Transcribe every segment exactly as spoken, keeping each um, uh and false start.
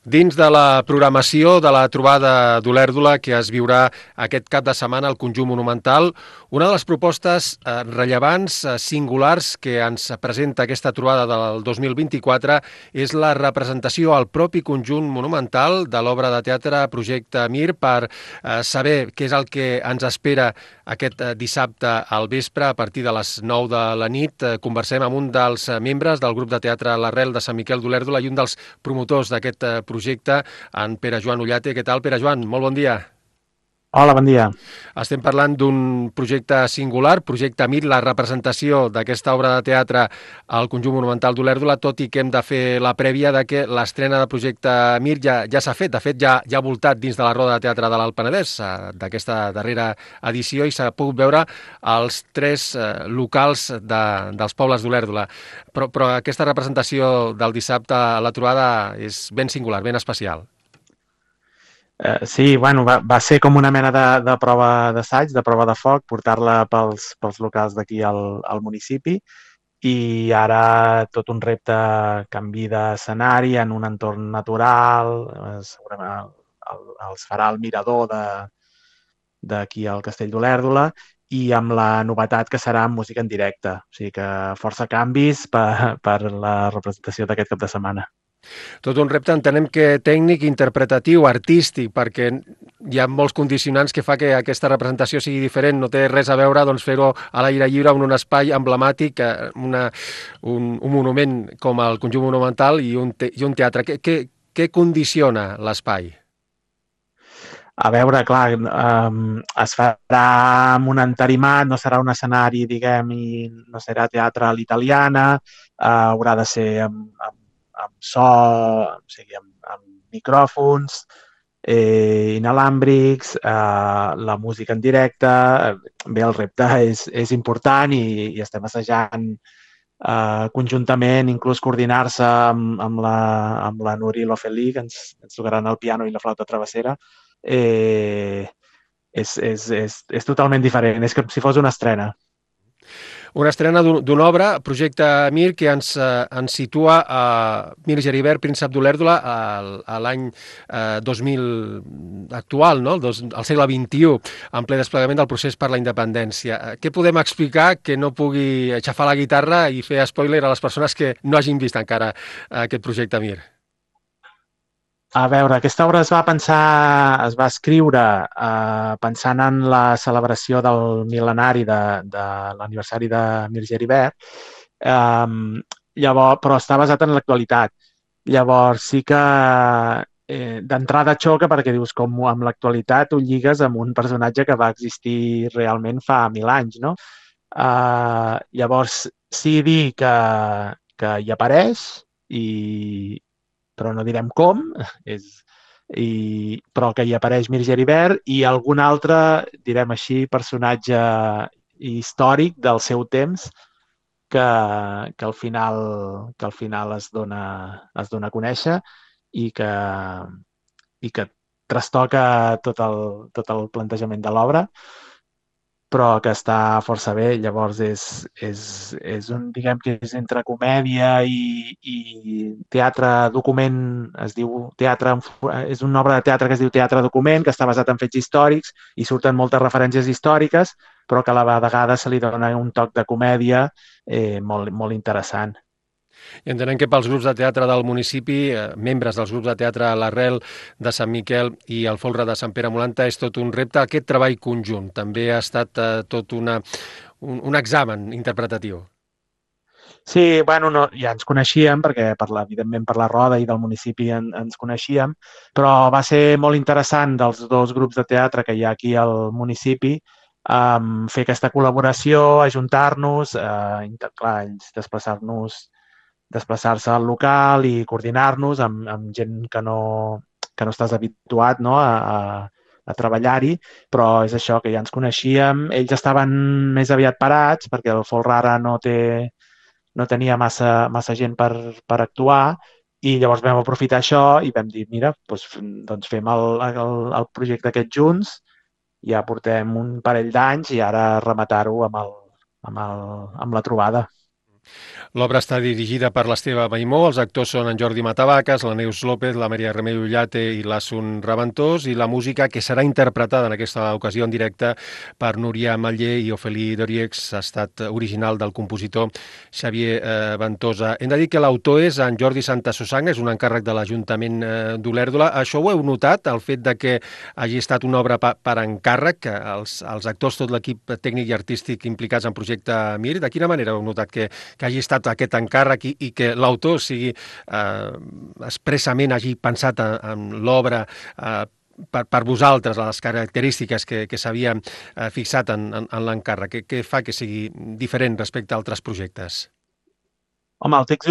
Dins de la programació de la trobada d'Olèrdola que es viurà aquest cap de setmana al Conjunt Monumental, una de les propostes eh, rellevants, eh, singulars, que ens presenta aquesta trobada del dos mil vint-i-quatre és la representació al propi Conjunt Monumental de l'obra de teatre Projecte Mir. Per eh, saber què és el que ens espera aquest eh, dissabte al vespre a partir de les nou de la nit, eh, conversem amb un dels eh, membres del grup de teatre L'Arrel de Sant Miquel d'Olèrdola i un dels promotors d'aquest eh, projecte, en Pere Joan Ullate. Què tal, Pere Joan? Molt bon dia. Hola, bon dia. Estem parlant d'un projecte singular, Projecte Mir, la representació d'aquesta obra de teatre al Conjunt Monumental d'Olèrdola, tot i que hem de fer la prèvia de que l'estrena de Projecte Mir ja, ja s'ha fet. De fet, ja, ja ha voltat dins de la Roda de Teatre de l'Alt Penedès, eh, d'aquesta darrera edició, i s'ha pogut veure als tres eh, locals de, dels pobles d'Olèrdola. Però, però aquesta representació del dissabte a la trobada és ben singular, ben especial. Eh, sí, bueno, va, va ser com una mena de, de prova d'assaig, de prova de foc, portar-la pels, pels locals d'aquí al, al municipi i ara tot un repte canvi d'escenari en un entorn natural, eh, segurament el, el, els farà el mirador de d'aquí al Castell d'Olèrdola i amb la novetat que serà amb música en directe. O sigui que força canvis per, per la representació d'aquest cap de setmana. Tot un repte, entenem que tècnic, interpretatiu, artístic, perquè hi ha molts condicionants que fa que aquesta representació sigui diferent. No té res a veure doncs, fer-ho a l'aire lliure en un espai emblemàtic, una, un, un monument com el Conjunt Monumental i un, te, i un teatre. Què, què, què condiciona l'espai? A veure, clar, um, es farà amb un entarimat, no serà un escenari, diguem, i no serà teatre a l'italiana, uh, haurà de ser amb, amb, amb so, o sigui, amb, amb micròfons, eh, inalàmbrics, uh, la música en directe. Bé, el repte és, és important i, i estem assajant uh, conjuntament, inclús coordinar-se amb, amb, la, amb la Nuri Lofelí, que ens, ens tocaran el piano i la flauta travessera. Eh, és, és, és, és totalment diferent, és com si fos una estrena. Una estrena d'una obra, Projecte Mir, que ens, eh, ens situa a Mir Geribert, príncep d'Olèrdola, a l'any eh, dos mil actual, no? el, dos, el segle vint-i-u, en ple desplegament del procés per la independència. Eh, què podem explicar que no pugui aixafar la guitarra i fer spoiler a les persones que no hagin vist encara eh, aquest Projecte Mir? A veure, aquesta obra es va pensar, es va escriure eh, pensant en la celebració del mil·lenari de, de l'aniversari de Mir Geribert, eh, llavors, però està basat en l'actualitat. Llavors sí que eh, d'entrada xoca perquè dius com amb l'actualitat ho lligues amb un personatge que va existir realment fa mil anys, no? Eh, llavors sí dir que, que hi apareix i, però no direm com, és, i, però que hi apareix Mir Geribert i algun altre, direm així, personatge històric del seu temps que, que, al, final, que al final es dona, es dona a conèixer i que, i que trastoca tot el, tot el plantejament de l'obra, però que està força bé. Llavors és, és, és un, diguem que és entre comèdia i, i teatre document, es diu teatre, és una obra de teatre que es diu Teatre Document, que està basat en fets històrics i surten moltes referències històriques, però que a la vegada se li dona un toc de comèdia eh, molt, molt interessant. I entenem que pels grups de teatre del municipi, eh, membres dels grups de teatre L'Arrel de Sant Miquel i el Folre de Sant Pere Molanta, és tot un repte. Aquest treball conjunt també ha estat eh, tot una, un, un examen interpretatiu. Sí, bueno, no, ja ens coneixíem, perquè per la, evidentment per la Roda i del municipi en, ens coneixíem, però va ser molt interessant dels dos grups de teatre que hi ha aquí al municipi um, fer aquesta col·laboració, ajuntar-nos, eh, clar, ells desplaçar-nos desplaçar-se al local i coordinar-nos amb, amb gent que no, que no estàs habituat, no, a, a, a treballar-hi, però és això, que ja ens coneixíem. Ells estaven més aviat parats perquè el Folre ara no té no tenia massa, massa gent per, per actuar i llavors vam aprofitar això i vam dir, mira, doncs, doncs fem el, el, el projecte aquest junts, ja portem un parell d'anys i ara rematar-ho amb, el, amb, el, amb la trobada. L'obra està dirigida per l'Esteve Maimó, els actors són en Jordi Matavaques, la Neus López, la Maria Remei Ullate i l'Assun Reventós, i la música que serà interpretada en aquesta ocasió en directe per Núria Matller i Ofeli Doriex ha estat original del compositor Xavier eh, Ventosa. Hem de dir que l'autor és en Jordi Santasusagna, és un encàrrec de l'Ajuntament eh, d'Olèrdola. Això ho heu notat, el fet de que hagi estat una obra pa, per encàrrec, que els, els actors, tot l'equip tècnic i artístic implicats en projecte Mir, de quina manera heu notat que, que hagi estat aquest encàrrec i, i que l'autor sigui eh, expressament hagi pensat en, en l'obra eh, per, per vosaltres, les característiques que, que s'havia eh, fixat en, en, en l'encàrrec? Què, què fa que sigui diferent respecte a altres projectes? Home, el text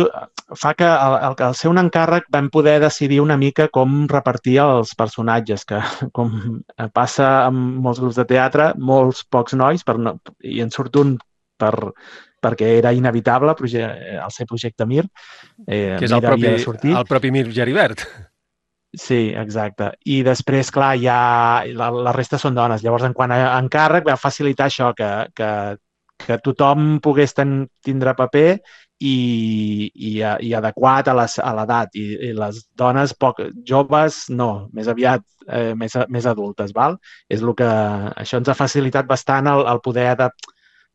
fa que al, al ser un encàrrec vam poder decidir una mica com repartir els personatges, que com passa amb molts grups de teatre, molts pocs nois, per no, i en surt un per, perquè era inevitable el ser projecte Mir. Eh, que és Mir el propi, havia de sortir. el propi Mir Geribert. Sí, exacte. I després, clar, ja la, la resta són dones. Llavors, en quant a encàrrec, va facilitar això, que, que, que tothom pogués ten, tindre paper i, i, i adequat a l'edat. I, I les dones poc joves, no, més aviat eh, més, més adultes, val? És el que, això ens ha facilitat bastant el, el poder adaptar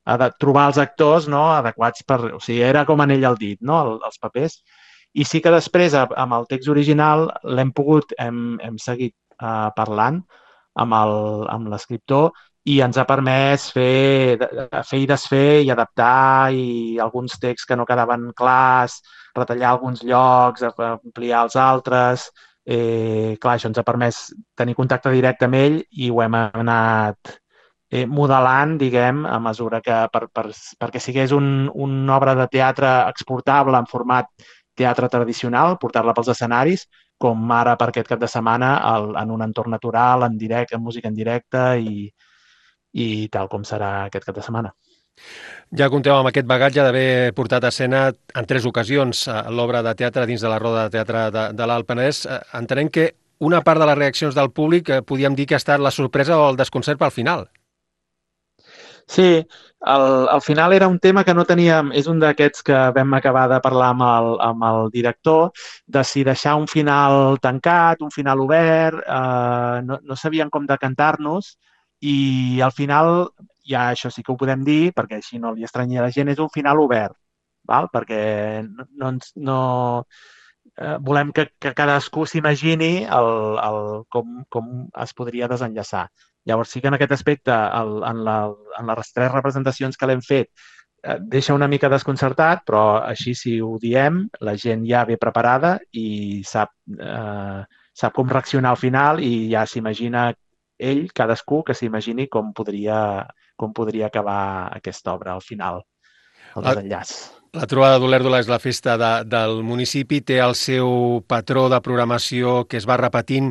ha de trobar els actors, no, adequats per... O sigui, era com anell al dit, no?, el, els papers. I sí que després, amb el text original, l'hem pogut, hem, hem seguit uh, parlant amb l'escriptor i ens ha permès fer, fer i desfer i adaptar i alguns texts que no quedaven clars, retallar alguns llocs, ampliar els altres. Eh, clar, això ens ha permès tenir contacte directe amb ell i ho hem anat Eh, modelant, diguem, a mesura que per, per, perquè sigués un, una obra de teatre exportable en format teatre tradicional, portar-la pels escenaris, com ara per aquest cap de setmana el, en un entorn natural, en directe, en música en directe i, i tal com serà aquest cap de setmana. Ja compteu amb aquest bagatge d'haver portat a escena en tres ocasions l'obra de teatre dins de la Roda de Teatre de, de l'Alt Penedès. Entenem que una part de les reaccions del públic podíem dir que ha estat la sorpresa o el desconcert pel final. Sí, al, al final era un tema que no teníem, és un d'aquests que vam acabar de parlar amb el, amb el director, de si deixar un final tancat, un final obert, eh, no, no sabíem com decantar-nos i al final, ja això sí que ho podem dir, perquè així no li estranyi a la gent, és un final obert, val? Perquè no, no, no eh, volem que, que cadascú s'imagini el, el, com, com es podria desenllaçar. Llavors sí que en aquest aspecte, el, en, la, en les tres representacions que l'hem fet, eh, deixa una mica desconcertat, però així si ho diem, la gent ja ve preparada i sap, eh, sap com reaccionar al final i ja s'imagina ell, cadascú, que s'imagini com podria, com podria acabar aquesta obra al final, el desenllaç. La trobada d'Olèrdola és la festa de, del municipi, té el seu patró de programació que es va repetint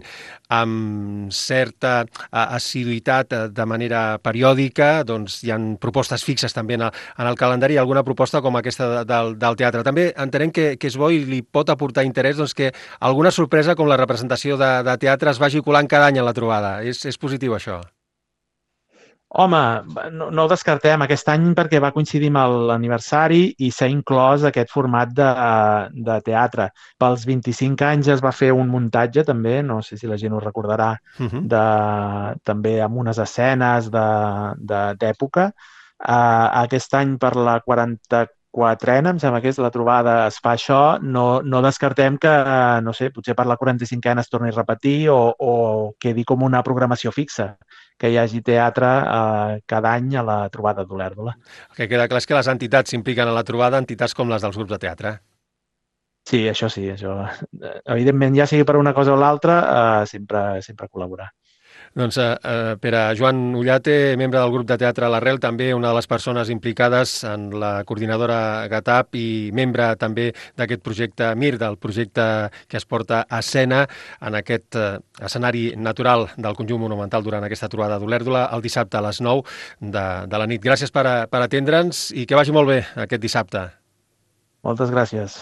amb certa assiduïtat de manera periòdica, doncs hi ha propostes fixes també en el, en el calendari, alguna proposta com aquesta de, del, del teatre. També entenem que, que és bo i li pot aportar interès doncs, que alguna sorpresa com la representació de, de teatre es vagi colant cada any en la trobada. És, és positiu això? Home, no, no ho descartem aquest any perquè va coincidir amb l'aniversari i s'ha inclòs aquest format de, de teatre. Pels vint-i-cinc anys es va fer un muntatge també, no sé si la gent ho recordarà, uh-huh. de, també amb unes escenes d'època. Uh, aquest any per la quaranta-quatrena, em sembla que és la trobada, es fa això. No, no descartem que, no sé, potser per la quaranta-cinquena es torni a repetir o, o quedi com una programació fixa, que hi hagi teatre eh, cada any a la trobada d'Olèrdola. El que queda clar és que les entitats s'impliquen a la trobada, entitats com les dels grups de teatre. Sí, això sí. Això. Evidentment, ja sigui per una cosa o l'altra, eh, sempre, sempre col·laborar. Doncs eh, per a Joan Ullate, membre del grup de teatre L'Arrel, també una de les persones implicades en la coordinadora GATAP i membre també d'aquest projecte Mir, del projecte que es porta a escena en aquest eh, escenari natural del conjunt monumental durant aquesta trobada d'Olèrdola el dissabte a les nou de, de la nit. Gràcies per, per atendre'ns i que vagi molt bé aquest dissabte. Moltes gràcies.